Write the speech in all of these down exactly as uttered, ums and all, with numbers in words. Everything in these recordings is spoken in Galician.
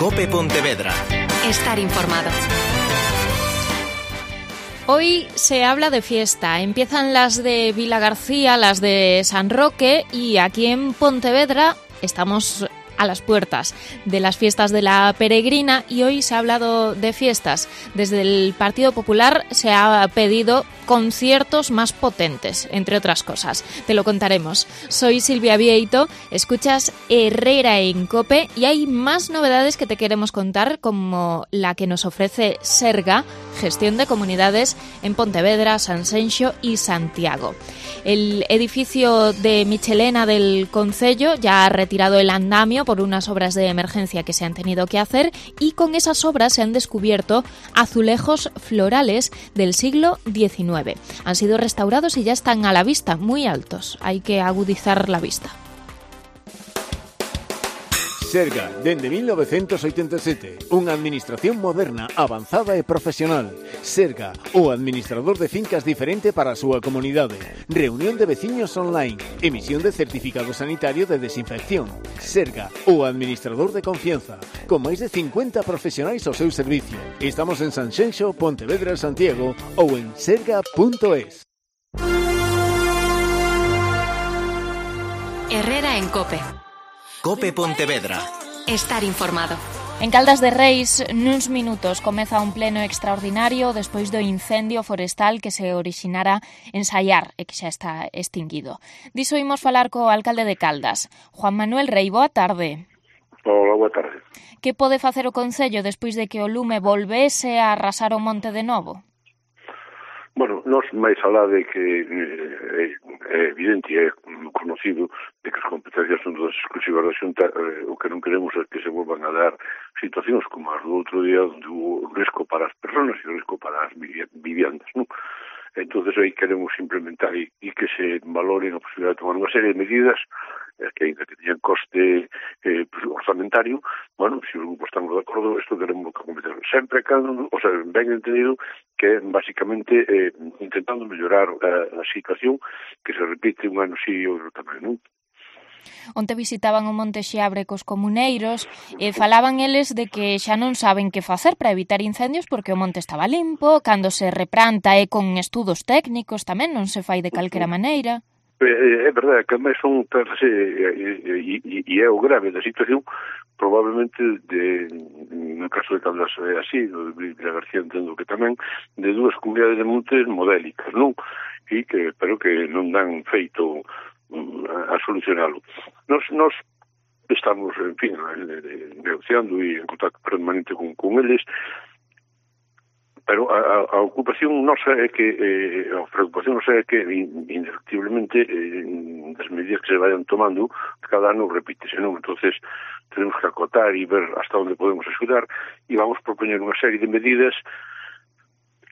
COPE Pontevedra. Estar informado. Hoy se habla de fiesta. Empiezan las de Vilagarcía, las de San Roque, y aquí en Pontevedra estamos a las puertas de las fiestas de la Peregrina, y hoy se ha hablado de fiestas. Desde el Partido Popular se ha pedido conciertos más potentes, entre otras cosas. Te lo contaremos. Soy Silvia Vieito, escuchas Herrera en COPE, y hay más novedades que te queremos contar, como la que nos ofrece Serga, gestión de comunidades en Pontevedra, Sanxenxo y Santiago. El edificio de Michelena del Concello ya ha retirado el andamio por unas obras de emergencia que se han tenido que hacer, y con esas obras se han descubierto azulejos florales del siglo diecinueve. Han sido restaurados y ya están a la vista, muy altos. Hay que agudizar la vista. Serga, dende mil novecentos oitenta e sete, unha administración moderna, avanzada e profesional. Serga, o administrador de fincas diferente para a súa comunidade. Reunión de veciños online, emisión de certificado sanitario de desinfección. Serga, o administrador de confianza, con máis de cincuenta profesionais ao seu servicio. Estamos en Sanxenxo, Pontevedra, Santiago ou en serga punto es. Herrera en COPE. COPE Pontevedra. Estar informado. En Caldas de Reis, nuns minutos, comeza un pleno extraordinario despois do incendio forestal que se orixinara en Saiar e que xa está extinguido. Diso imos falar co alcalde de Caldas, Juan Manuel Rei. Boa tarde. Hola, boa tarde. Que pode facer o Concello despois de que o lume volvese a arrasar o monte de novo? Bueno, nós máis alá de que é, é evidente e é conocido de que as competencias son todas exclusivas da Xunta, eh, o que non queremos é que se volvan a dar situacións como as do outro día, onde hubo risco para as persoas e risco para as viviendas, non? Entonces aí queremos implementar e, e que se valoren a posibilidad de tomar unha serie de medidas eh, que ainda que teñan coste eh, orzamentario. Bueno, se si os grupos estamos de acordo, isto queremos que competir sempre cando, o sea, ben entendido que basicamente eh, intentando mellorar a, a situación que se repite un ano si e outro tamén, non? Onte visitaban o Monte Xiabre cos comuneiros e falaban eles de que xa non saben que facer para evitar incendios porque o monte estaba limpo, cando se replanta é con estudos técnicos tamén, non se fai de calquera maneira. É verdade, que máis son e, e, e é o grave da situación, probablemente de, no caso de Caldas é así, de Vilagarcía entendo que tamén, de dúas comunidades de montes modélicas, non? E que, pero que non dan feito a solucionalo. Nos, nos estamos, en fin, negociando e en contacto permanente con, con eles, pero a, a ocupación nosa é que, eh, a preocupación nosa é que, indefectiblemente, eh, as medidas que se vayan tomando, cada ano repítese, non? Entonces, tenemos que acotar e ver hasta onde podemos axudar, e vamos propoñer unha serie de medidas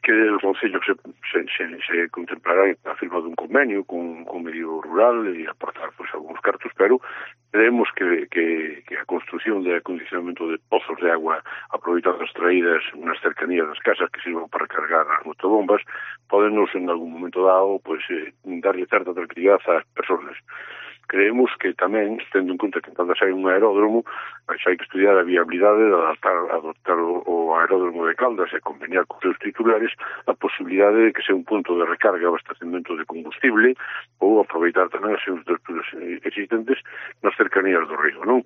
que o Concello se, se, se, se contemplará a firma dun convenio con, con medio rural e aportar pues, algúns cartos, pero creemos que, que, que a construción de acondicionamento de pozos de agua aproveitando as traídas nas cercanías das casas que sirvan para cargar as motobombas podenos en algún momento dado pues, eh, darle certa tranquilidade ás persoas. Creemos que tamén, tendo en conta que en Caldas hai un aeródromo, hai que estudiar a viabilidade de adaptar, adoptar o, o aeródromo de Caldas e conveniar con seus titulares a posibilidade de que sea un punto de recarga e abastecemento de combustible ou aproveitar tamén as seus estruturas existentes nas cercanías do río, non?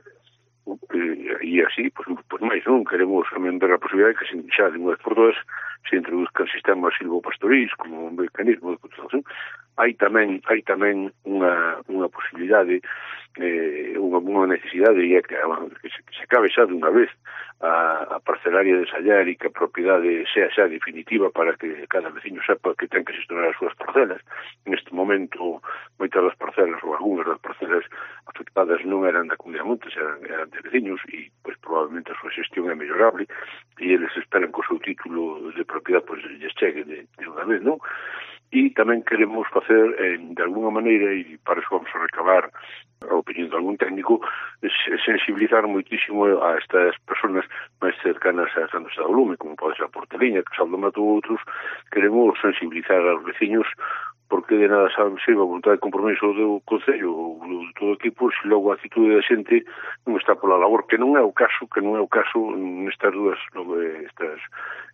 E así, pois, pois máis, non? Queremos tamén ver a posibilidade que se xa de unha vez por todas se introduzcan sistemas silvopastorís como un mecanismo de conservación. Hai tamén hai tamén unha, unha posibilidade, eh, unha, unha necesidade e é que, que, se, que se acabe xa de unha vez a, a parcelaria de Sallar e que a propiedade sea xa definitiva para que cada veciño sepa que ten que gestionar as súas parcelas. Neste momento, moitas das parcelas ou algunhas das parcelas afectadas non eran da Comunidade de Montes, eran, eran de veciños e, pois, probablemente a súa xestión é mellorable e eles esperan que o seu título de propiedade, pois, lles chegue de, de unha vez, non? E tamén queremos facer, eh, de alguna maneira, e para eso vamos a recabar a opinión de algún técnico, sensibilizar moitísimo a estas persoas máis cercanas a cando está o lume, como pode ser a Porteliña, que Saldo Mato ou outros. Queremos sensibilizar aos veciños porque de nada sabe sirva a vontade de compromiso do Concello ou do todo o equipo se logo a actitude da xente non está pola labor, que non é o caso, que non é o caso nestas dúas, estas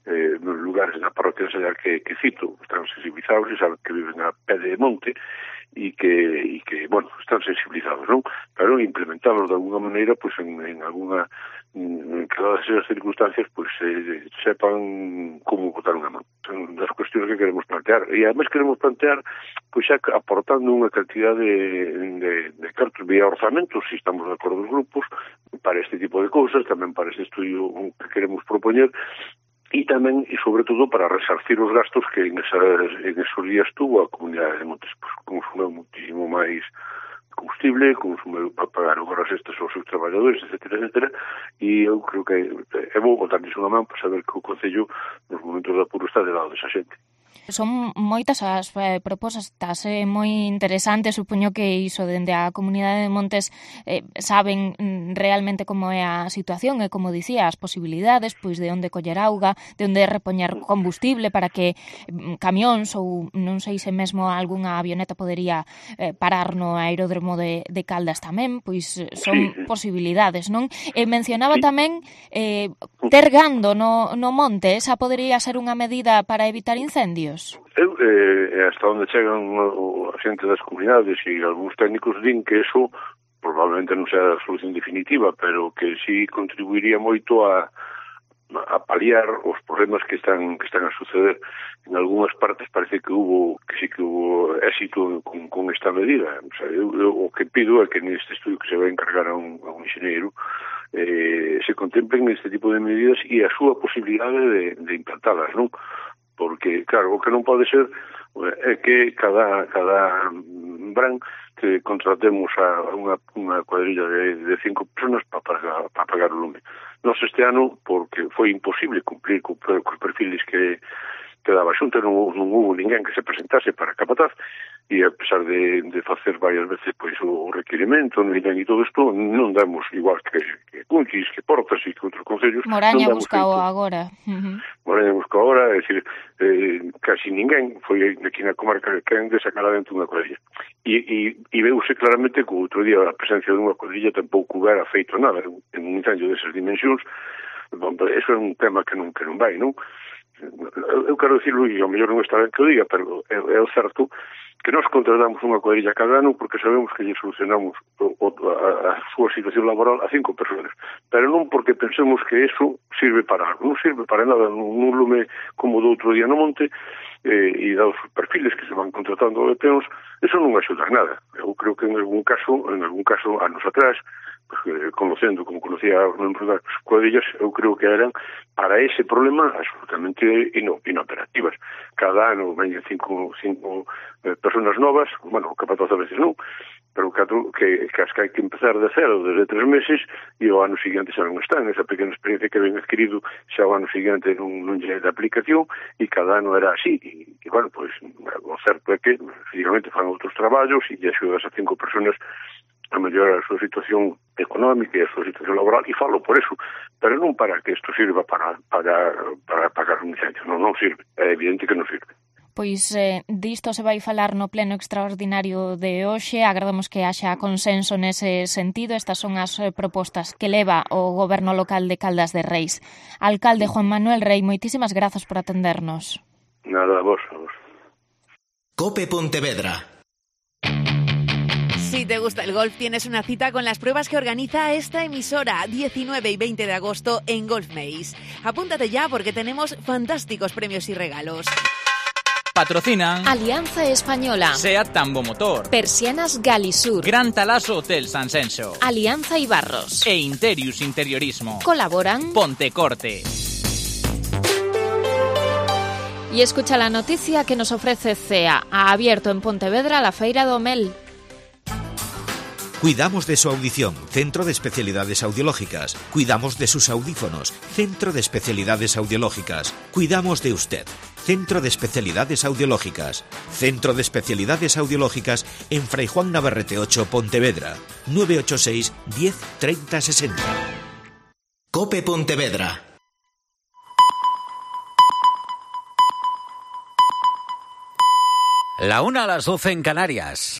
eh, lugares da parroquia de Sallar que, que cito, están sensibilizados e saben que viven a pé de monte e que, e que, bueno, están sensibilizados, non? Pero implementarlos de alguna maneira, pois, en, en alguna, en cada esas circunstancias, pois, eh, sepan como botar unha mão. Son das cuestións que queremos plantear. E, además, queremos plantear, pois, xa aportando unha cantidad de, de, de cartos vía orzamentos, se estamos de acordo os grupos, para este tipo de cousas, tamén para este estudio que queremos propoñer, e tamén, e sobre todo, para resarcir os gastos que en, esas, en esos días tuvo a comunidade de Montes, pues, consumeu muitísimo máis combustible, consumeu para pagar horas extras aos seus traballadores, etcétera, etcétera, e eu creo que é bo botarles unha man para saber que o Concello nos momentos de apuro está de lado desa xente. Son moitas as eh, propostas, eh, moi interesantes, supoño que iso dende a comunidade de Montes eh, saben mm, realmente como é a situación e, como dicía, as posibilidades, pois de onde coller auga, de onde repoñer combustible para que mm, camións ou non sei se mesmo algunha avioneta podería eh, parar no aeródromo de, de Caldas tamén, pois son sí. posibilidades, non? E mencionaba sí. tamén eh, ter gando no, no monte, esa podería ser unha medida para evitar incendios. Eu, eh, hasta onde chegan a xente das comunidades e algúns técnicos din que eso probablemente non sea a solución definitiva, pero que sí contribuiría moito a, a paliar os problemas que están que están a suceder. En algunhas partes parece que hubo que sí que hubo éxito con, con esta medida. O sea, eu, eu, o que pido é que neste estudio que se vai encargar a un, a un enxeñeiro eh, se contemplen este tipo de medidas e a súa posibilidade de, de implantalas, non? Porque, claro, o que non pode ser é que cada cada verán que contratemos a unha, unha cuadrilla de, de cinco personas para pagar, para pagar o lume. Nos este ano, porque foi imposible cumplir co, cos perfiles que, que daba xunta, non, non hubo ninguén que se presentase para capataz, e a pesar de, de facer varias veces pois o requirimento, non e todo isto, non damos igual que, que Cunchis, que Portas e que outros concellos. Moraña buscao agora. Uh-huh. Moraña buscao agora, é dicir, eh, casi ninguén foi aquí na comarca que han de sacar adentro unha cuadrilla. E, e, e veuse claramente que o outro día a presencia dunha cuadrilla tampouco hubiera feito nada en un incendio desas dimensións. Bon, eso é un tema que non, que non vai, non? Eu quero dicirlo, e ao mellor non está ben que o diga, pero é, é o certo que nós contratamos unha cuadrilla cada ano porque sabemos que lle solucionamos o, o, a, a súa situación laboral a cinco persoas, pero non porque pensemos que eso sirve para algo, non sirve para nada. Nun lume como do outro día no monte, eh, e dados os perfiles que se van contratando de peóns, eso non axuda a nada. Eu creo que en algún caso, en algún caso anos atrás, pues, eh, conocendo como conocía os membros das cuadrillas, eu creo que eran para ese problema absolutamente ino, inoperativas. Cada ano veñen cinco, cinco eh, personas novas, bueno, capataz a veces non, pero catro, que, que as que hai que empezar de cero desde tres meses e o ano seguinte xa non están. Esa pequena experiencia que ven adquirido xa o ano seguinte non, non lle de aplicación e cada ano era así. E, e bueno, pois, o certo é que efectivamente fan outros traballos e lle axudas a cinco personas a mellorar a súa situación económica e a súa situación laboral, e falo por eso, pero non para que isto sirva para, para, para pagar un incendio, non, non sirve, é evidente que non sirve. Pois eh, disto se vai falar no pleno extraordinario de hoxe. Agardamos que haxa consenso nese sentido. Estas son as eh, propostas que leva o goberno local de Caldas de Reis. Alcalde Juan Manuel Rei, moitísimas grazas por atendernos. Nada, a vos, a vos. Cope Pontevedra. Si te gusta el golf, tienes una cita con las pruebas que organiza esta emisora diecinueve y veinte de agosto en Golf Maze. Apúntate ya porque tenemos fantásticos premios y regalos. Patrocinan Alianza Española, Seat Tambo Motor, Persianas Galisur, Gran Talaso Hotel San Senso, Alianza Ibarros e Interius Interiorismo. Colaboran Pontecorte. Y escucha la noticia que nos ofrece C E A. Ha abierto en Pontevedra la Feira do Mel. Cuidamos de su audición, Centro de Especialidades Audiológicas. Cuidamos de sus audífonos, Centro de Especialidades Audiológicas. Cuidamos de usted, Centro de Especialidades Audiológicas. Centro de Especialidades Audiológicas en Fray Juan Navarrete ocho, Pontevedra. nueve ocho seis, diez, treinta, sesenta. Cope Pontevedra. La una a las doce en Canarias.